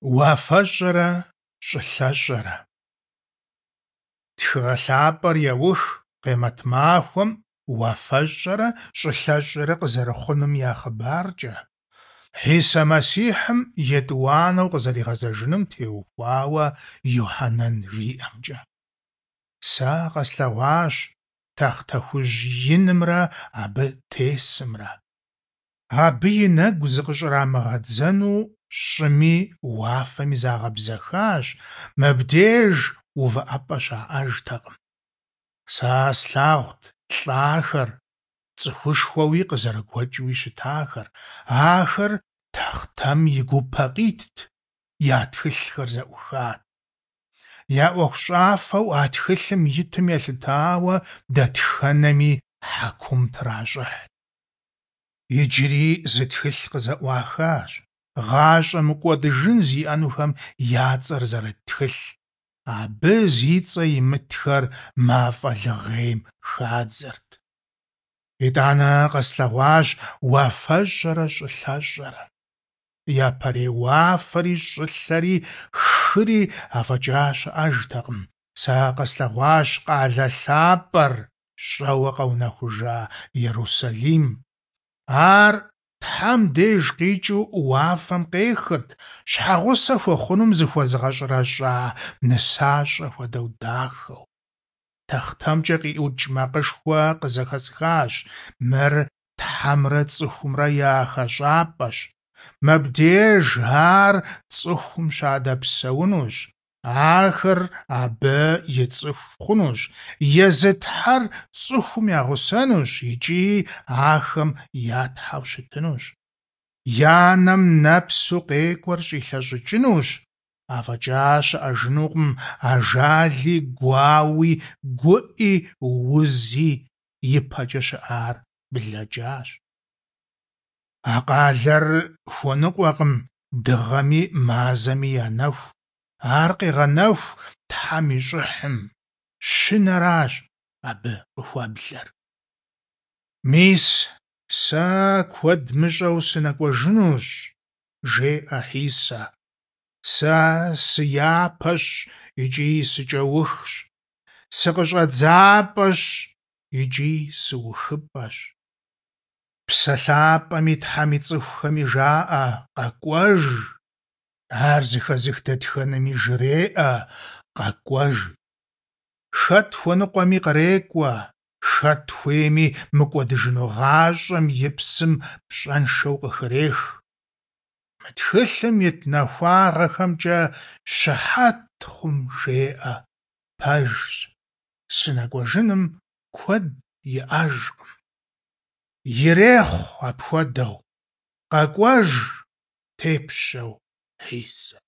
Уафэщӏэрэ щӏылъэщӏэрэ. Тхыгъэ лъапӏэр еух Къемэт махуэм уафэщӏэрэ щӏылъэщӏэрэ къызэрыхъунум я хъыбаркӏэ, Хьисэ Мэссихьым етӏуанэу къызэригъэзэжынум теухуауэ Юхьэнэн жиӏэмкӏэ. Сэ къэслъэгъуащ тахътэ хужь инымрэ абы тесымрэ. Абы и нэгу зыкъыщӏрамыгъэдзэну щӏыми уафэми загъэбзэхащ, мыбдеж увыӏэпӏэ щаӏэжтэкъым. Сэ слъагъут лӏахэр, цӏыхушхуэуи къызэрыгуэкӏыуи щытахэр, ахэр тахътэм и гупэ къитт, я тхылъхэр зэӏухат. Я ӏуэхущӏафэу а тхылъым итым елъытауэ дэтхэнэми хьэкум тращӏыхьт. Иджыри зы тхылъ къызэӏуахащ, гъащӏэ мыкӏуэдыжын зиӏэнухэм я цӏэр зэрыт тхылъ. Абы зи цӏэ имытхэр мафӏэ лыгъейм хадзэрт. Итӏанэ къэслъэгъуащ уафэщӏэрэ щӏылъэщӏэрэ. Япэрей уафэри щӏылъэри хыри афӏэкӏа щыӏэжтэкъым. Сэ къэслъэгъуащ къалэ лъапӏэр, щӏэуэ къэунэхужа Ерусалим. Ар Тхьэм деж къикӏыу уафэм къехырт, щхьэгъусэ хуэхъунум зыхуэзыгъэщӏэрэщӏа нысащӏэ хуэдэу дахэу. Тахътэмкӏэ къиӏукӏ макъышхуэ къызэхэсхащ: Мыр Тхьэмрэ цӏыхумрэ я хэщӏапӏэщ. Мыбдеж ар цӏыхум щадэпсэунущ, ахэр абы и цӏыху хъунущ, езы Тхьэр цӏыхум ягъусэнущ икӏи ахэм я Тхьэу щытынущ. Я нэм нэпсу къекӏуэр щӏилъэщӏыкӏынущ, афӏэкӏа щыӏэжынукъым ажали, гуауи, гуӏи, узи, ипэкӏэ щыӏар блэкӏащ. А къалэр хуэныкъуэкъым дыгъэми мазэми я нэху, ар къегъэнэху Тхьэм и щӏыхьым, Щынэращ абы къыхуэблэр. Мис, сэ куэд мыщӏэу сынэкӏуэжынущ, жеӏэ Хьисэ. Сэ сыяпэщ икӏи сыкӏэухщ, сыкъыщӏэдзапӏэщ икӏи сыухыпӏэщ. Псэ Лъапӏэми Тхьэм и цӏыхухэми жаӏэ: Къэкӏуэж! Ар зэхэзых дэтхэнэми жреӏэ: Къэкӏуэж! Хэт хуэныкъуэми кърекӏуэ, хэт хуейми мыкӏуэдыжыну гъащӏэм и псым пщӏэншэу къыхрех. Мы тхылъым ит нахуагъэхэмкӏэ щыхьэт хъум жеӏэ: Пэжщ, сынэкӏуэжыным куэд иӏэжкъым. Ирехъу апхуэдэу! Къэкӏуэж, тепщэу Хьисэ!